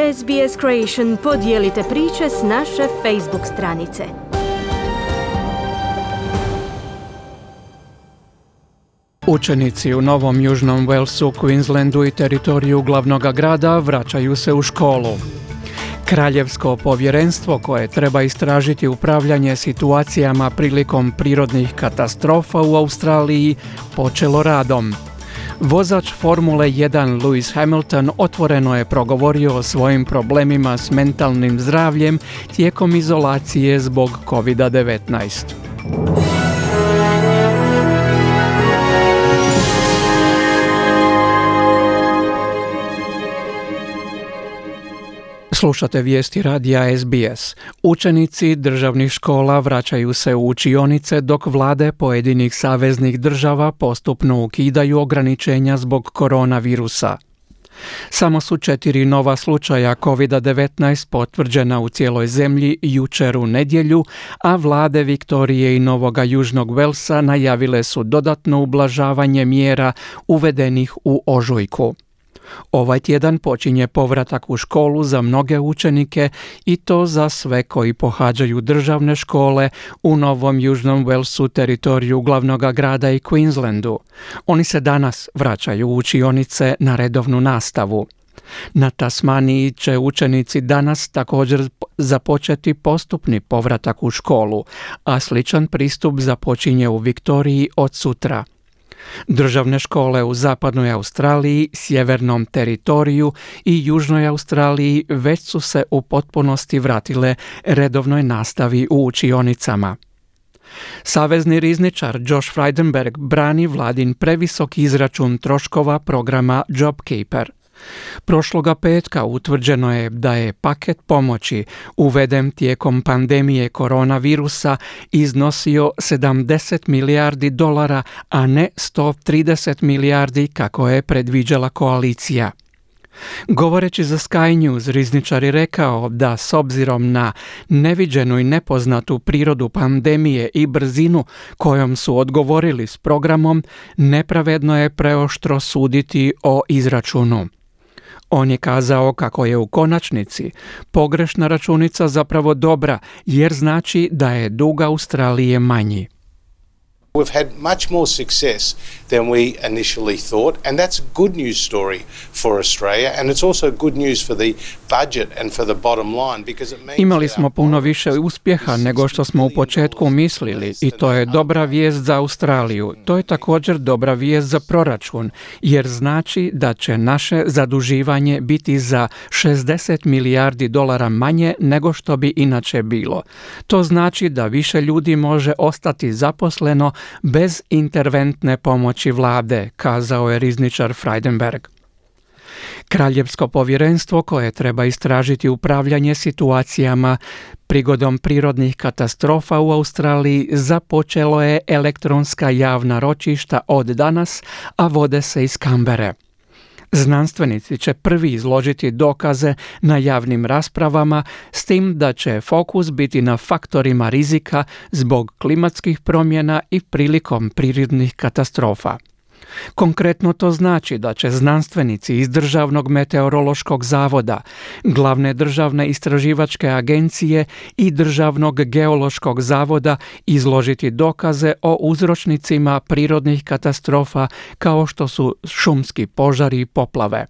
SBS Creation podijelite priče s naše Facebook stranice. Učenici u Novom Južnom Walesu, Queenslandu i teritoriju glavnog grada vraćaju se u školu. Kraljevsko povjerenstvo koje treba istražiti upravljanje situacijama prilikom prirodnih katastrofa u Australiji počelo radom. Vozač Formule 1 Lewis Hamilton otvoreno je progovorio o svojim problemima s mentalnim zdravljem tijekom izolacije zbog COVID-19. Slušate vijesti radija SBS. Učenici državnih škola vraćaju se u učionice dok vlade pojedinih saveznih država postupno ukidaju ograničenja zbog koronavirusa. Samo su 4 nova slučaja COVID-19 potvrđena u cijeloj zemlji jučer u nedjelju, a vlade Viktorije i Novoga Južnog Velsa najavile su dodatno ublažavanje mjera uvedenih u ožujku. Ovaj tjedan počinje povratak u školu za mnoge učenike i to za sve koji pohađaju državne škole u Novom Južnom Walesu, teritoriju glavnog grada i Queenslandu. Oni se danas vraćaju u učionice na redovnu nastavu. Na Tasmaniji će učenici danas također započeti postupni povratak u školu, a sličan pristup započinje u Viktoriji od sutra. Državne škole u zapadnoj Australiji, sjevernom teritoriju i južnoj Australiji već su se u potpunosti vratile redovnoj nastavi u učionicama. Savezni rizničar Josh Frydenberg brani vladin previsok izračun troškova programa JobKeeper. Prošloga petka utvrđeno je da je paket pomoći uveden tijekom pandemije koronavirusa iznosio $70 milijardi, a ne 130 milijardi kako je predviđala koalicija. Govoreći za Sky News, rizničar je rekao da s obzirom na neviđenu i nepoznatu prirodu pandemije i brzinu kojom su odgovorili s programom, nepravedno je preoštro suditi o izračunu. On je kazao kako je u konačnici pogrešna računica zapravo dobra, jer znači da je dug Australije manji. We've had much more success than we initially thought, and that's a good news story for Australia, and it's also good news for the budget and for the bottom line because it means Imali smo puno više uspjeha nego što smo u početku mislili i to je dobra vijest za Australiju. To je također dobra vijest za proračun, jer znači da će naše zaduživanje biti za $60 milijardi manje nego što bi inače bilo. To znači da više ljudi može ostati zaposleno bez interventne pomoći vlade, kazao je rizničar Frydenberg. Kraljevsko povjerenstvo koje treba istražiti upravljanje situacijama prigodom prirodnih katastrofa u Australiji započelo je elektronska javna ročišta od danas, a vode se iz Canberre. Znanstvenici će prvi izložiti dokaze na javnim raspravama, s tim da će fokus biti na faktorima rizika zbog klimatskih promjena i prilikom prirodnih katastrofa. Konkretno to znači da će znanstvenici iz Državnog meteorološkog zavoda, Glavne državne istraživačke agencije i Državnog geološkog zavoda izložiti dokaze o uzročnicima prirodnih katastrofa kao što su šumski požari i poplave.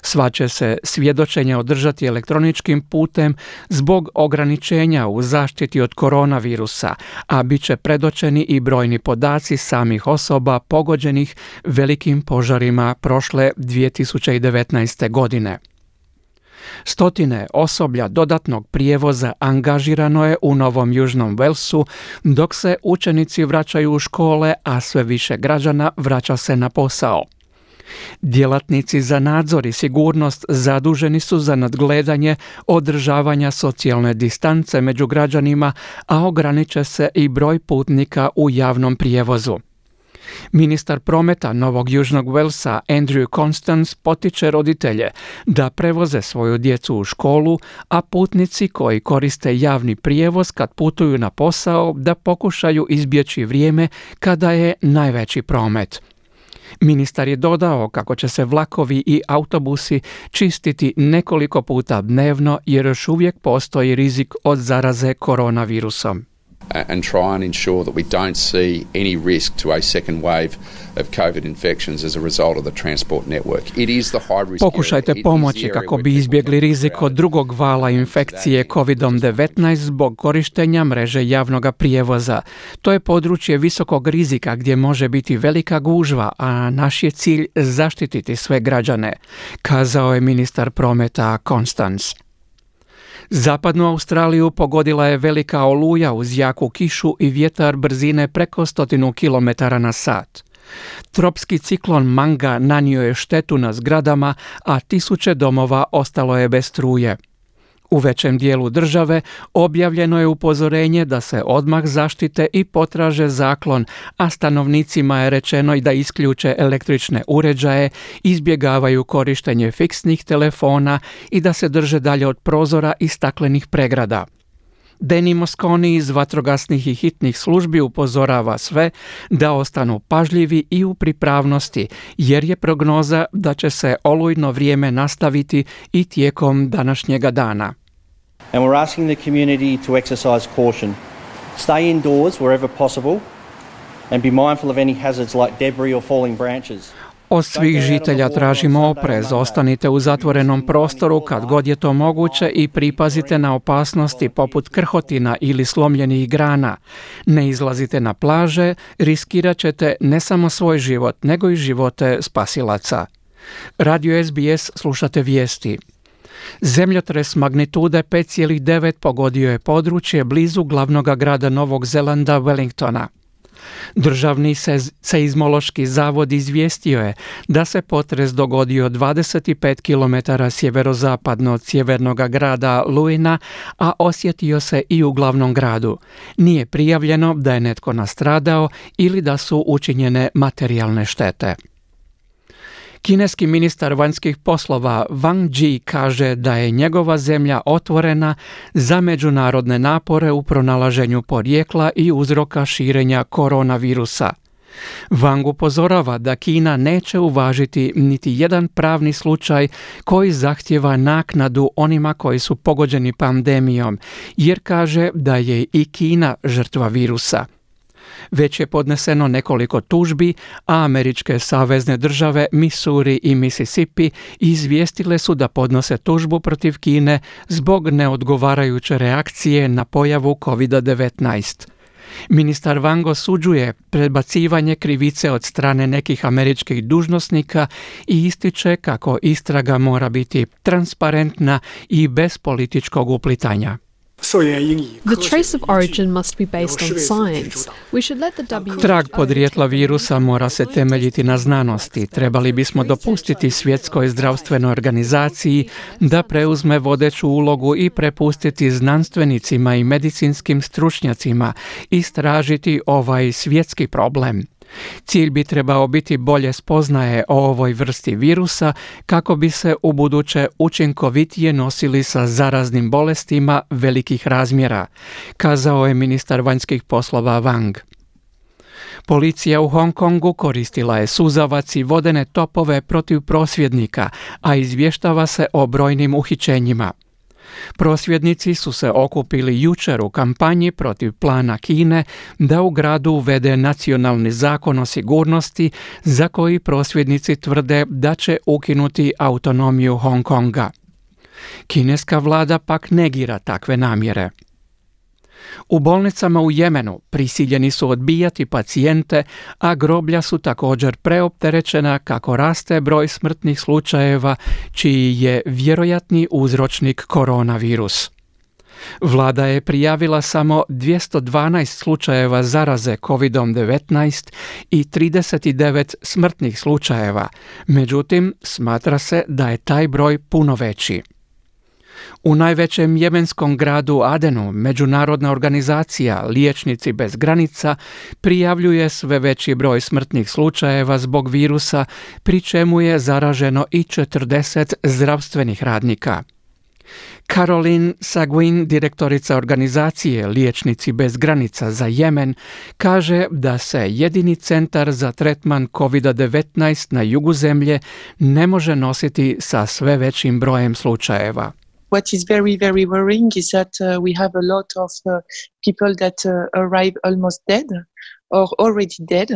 Sva će se svjedočenja održati elektroničkim putem zbog ograničenja u zaštiti od koronavirusa, a bit će predočeni i brojni podaci samih osoba pogođenih velikim požarima prošle 2019. godine. Stotine osoblja dodatnog prijevoza angažirano je u Novom Južnom Walesu dok se učenici vraćaju u škole, a sve više građana vraća se na posao. Djelatnici za nadzor i sigurnost zaduženi su za nadgledanje održavanja socijalne distance među građanima, a ograniče se i broj putnika u javnom prijevozu. Ministar prometa Novog Južnog Walesa Andrew Constance potiče roditelje da prevoze svoju djecu u školu, a putnici koji koriste javni prijevoz kad putuju na posao da pokušaju izbjeći vrijeme kada je najveći promet. Ministar je dodao kako će se vlakovi i autobusi čistiti nekoliko puta dnevno jer još uvijek postoji rizik od zaraze koronavirusom. And try and ensure that we don't see any risk to a second wave of COVID infections as a result of the transport network. It is the high risk. Pokušajte pomoći kako bi izbjegli rizik od drugog vala infekcije COVID-19 zbog korištenja mreže javnog prijevoza. To je područje visokog rizika gdje može biti velika gužva, a naš je cilj zaštititi sve građane, kazao je ministar prometa Constance. Zapadnu Australiju pogodila je velika oluja uz jaku kišu i vjetar brzine preko 100 km/h. Tropski ciklon Manga nanio je štetu na zgradama, a tisuće domova ostalo je bez struje. U većem dijelu države objavljeno je upozorenje da se odmah zaštite i potraže zaklon, a stanovnicima je rečeno i da isključe električne uređaje, izbjegavaju korištenje fiksnih telefona i da se drže dalje od prozora i staklenih pregrada. Danny Mosconi iz vatrogasnih i hitnih službi upozorava sve da ostanu pažljivi i u pripravnosti, jer je prognoza da će se olujno vrijeme nastaviti i tijekom današnjega dana. And we're asking the community to exercise caution. Stay indoors wherever possible and be mindful of any hazards like debris or falling branches. Od svih žitelja tražimo oprez, ostanite u zatvorenom prostoru kad god je to moguće i pripazite na opasnosti poput krhotina ili slomljenih grana. Ne izlazite na plaže, riskirat ćete ne samo svoj život, nego i živote spasilaca. Radio SBS slušate vijesti. Zemljotres magnitude 5,9 pogodio je područje blizu glavnog grada Novog Zelanda Wellingtona. Državni seizmološki zavod izvijestio je da se potres dogodio 25 km sjeverozapadno od sjevernog grada Luina, a osjetio se i u glavnom gradu. Nije prijavljeno da je netko nastradao ili da su učinjene materijalne štete. Kineski ministar vanjskih poslova Wang Yi kaže da je njegova zemlja otvorena za međunarodne napore u pronalaženju porijekla i uzroka širenja koronavirusa. Wang upozorava da Kina neće uvažiti niti jedan pravni slučaj koji zahtjeva naknadu onima koji su pogođeni pandemijom, jer kaže da je i Kina žrtva virusa. Već je podneseno nekoliko tužbi, a američke savezne države Missouri i Mississippi izvijestile su da podnose tužbu protiv Kine zbog neodgovarajuće reakcije na pojavu COVID-19. Ministar Wang osuđuje prebacivanje krivice od strane nekih američkih dužnosnika i ističe kako istraga mora biti transparentna i bez političkog uplitanja. The trace of origin must be based on science. We should let the WHO... Trag podrijetla virusa mora se temeljiti na znanosti. Trebali bismo dopustiti Svjetskoj zdravstvenoj organizaciji da preuzme vodeću ulogu i prepustiti znanstvenicima i medicinskim stručnjacima istražiti ovaj svjetski problem. Cilj bi trebao biti bolje spoznaje o ovoj vrsti virusa kako bi se ubuduće učinkovitije nosili sa zaraznim bolestima velikih razmjera, kazao je ministar vanjskih poslova Wang. Policija u Hong Kongu koristila je suzavac i vodene topove protiv prosvjednika, a izvještava se o brojnim uhićenjima. Prosvjednici su se okupili jučer u kampanji protiv plana Kine da u gradu uvede nacionalni zakon o sigurnosti za koji prosvjednici tvrde da će ukinuti autonomiju Hong Konga. Kineska vlada pak negira takve namjere. U bolnicama u Jemenu prisiljeni su odbijati pacijente, a groblja su također preopterećena kako raste broj smrtnih slučajeva, čiji je vjerojatni uzročnik koronavirus. Vlada je prijavila samo 212 slučajeva zaraze COVID-19 i 39 smrtnih slučajeva, međutim, smatra se da je taj broj puno veći. U najvećem jemenskom gradu Adenu međunarodna organizacija Liječnici bez granica prijavljuje sve veći broj smrtnih slučajeva zbog virusa, pri čemu je zaraženo i 40 zdravstvenih radnika. Caroline Seguin, direktorica organizacije Liječnici bez granica za Jemen, kaže da se jedini centar za tretman COVID-19 na jugu zemlje ne može nositi sa sve većim brojem slučajeva. What is very, very worrying is that we have a lot of people that arrive almost dead or already dead,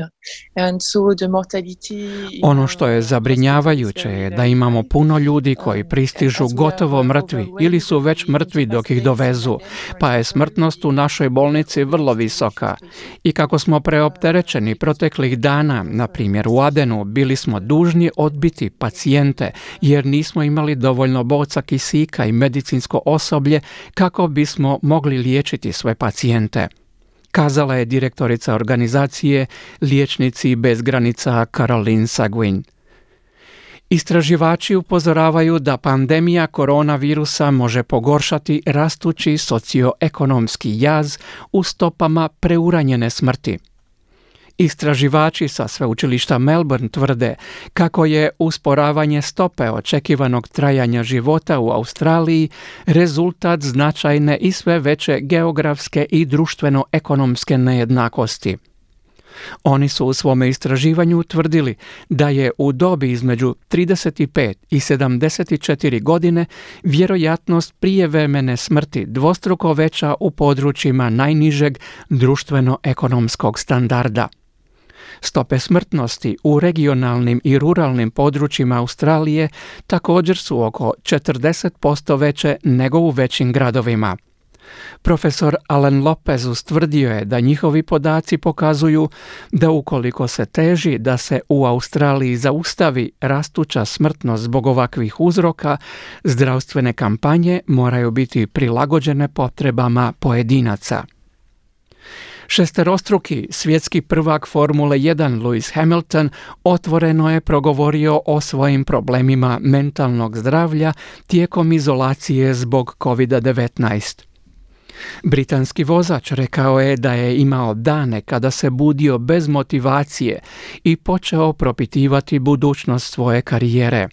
and so the mortality... Ono što je zabrinjavajuće je da imamo puno ljudi koji pristižu gotovo mrtvi ili su već mrtvi dok ih dovezu, pa je smrtnost u našoj bolnici vrlo visoka. I kako smo preopterećeni proteklih dana, na primjer u Adenu, bili smo dužni odbiti pacijente jer nismo imali dovoljno boca kisika i medicinsko osoblje kako bismo mogli liječiti sve pacijente, kazala je direktorica organizacije Liječnici bez granica Caroline Seguin. Istraživači upozoravaju da pandemija koronavirusa može pogoršati rastući socioekonomski jaz u stopama preuranjene smrti. Istraživači sa sveučilišta Melbourne tvrde kako je usporavanje stope očekivanog trajanja života u Australiji rezultat značajne i sve veće geografske i društveno-ekonomske nejednakosti. Oni su u svome istraživanju utvrdili da je u dobi između 35 i 74 godine vjerojatnost prijevremene smrti dvostruko veća u područjima najnižeg društveno-ekonomskog standarda. Stope smrtnosti u regionalnim i ruralnim područjima Australije također su oko 40% veće nego u većim gradovima. Profesor Alan Lopez ustvrdio je da njihovi podaci pokazuju da ukoliko se teži da se u Australiji zaustavi rastuća smrtnost zbog ovakvih uzroka, zdravstvene kampanje moraju biti prilagođene potrebama pojedinaca. Šesterostruki svjetski prvak Formule 1 Lewis Hamilton otvoreno je progovorio o svojim problemima mentalnog zdravlja tijekom izolacije zbog COVID-19. Britanski vozač rekao je da je imao dane kada se budio bez motivacije i počeo propitivati budućnost svoje karijere.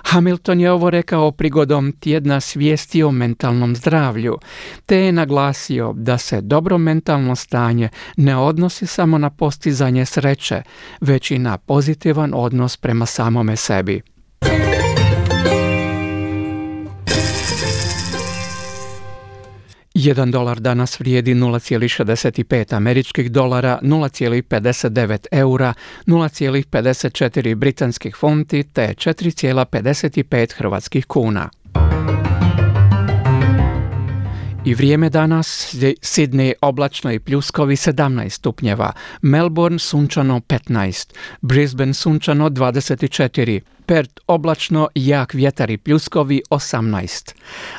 Hamilton je ovo rekao prigodom tjedna svijesti o mentalnom zdravlju, te je naglasio da se dobro mentalno stanje ne odnosi samo na postizanje sreće, već i na pozitivan odnos prema samome sebi. $1 danas vrijedi 0,65 američkih dolara, 0,59 eura, 0,54 britanskih funti te 4,55 hrvatskih kuna. I vrijeme danas: Sydney oblačno i pljuskovi 17 stupnjeva, Melbourne sunčano 15, Brisbane sunčano 24, Perth oblačno, jak vjetar i pljuskovi 18,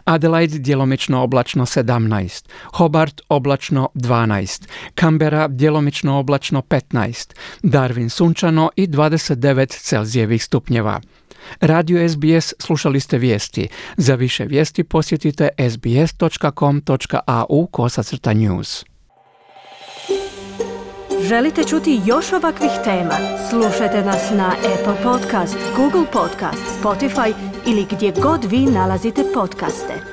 Adelaide djelomično oblačno 17, Hobart oblačno 12, Canberra djelomično oblačno 15, Darwin sunčano i 29 Celzijevih stupnjeva. Radio SBS, slušali ste vijesti. Za više vijesti posjetite sbs.com.au/news. Želite čuti još ovakvih tema? Slušajte nas na Apple Podcast, Google Podcast, Spotify ili gdje god vi nalazite podcaste.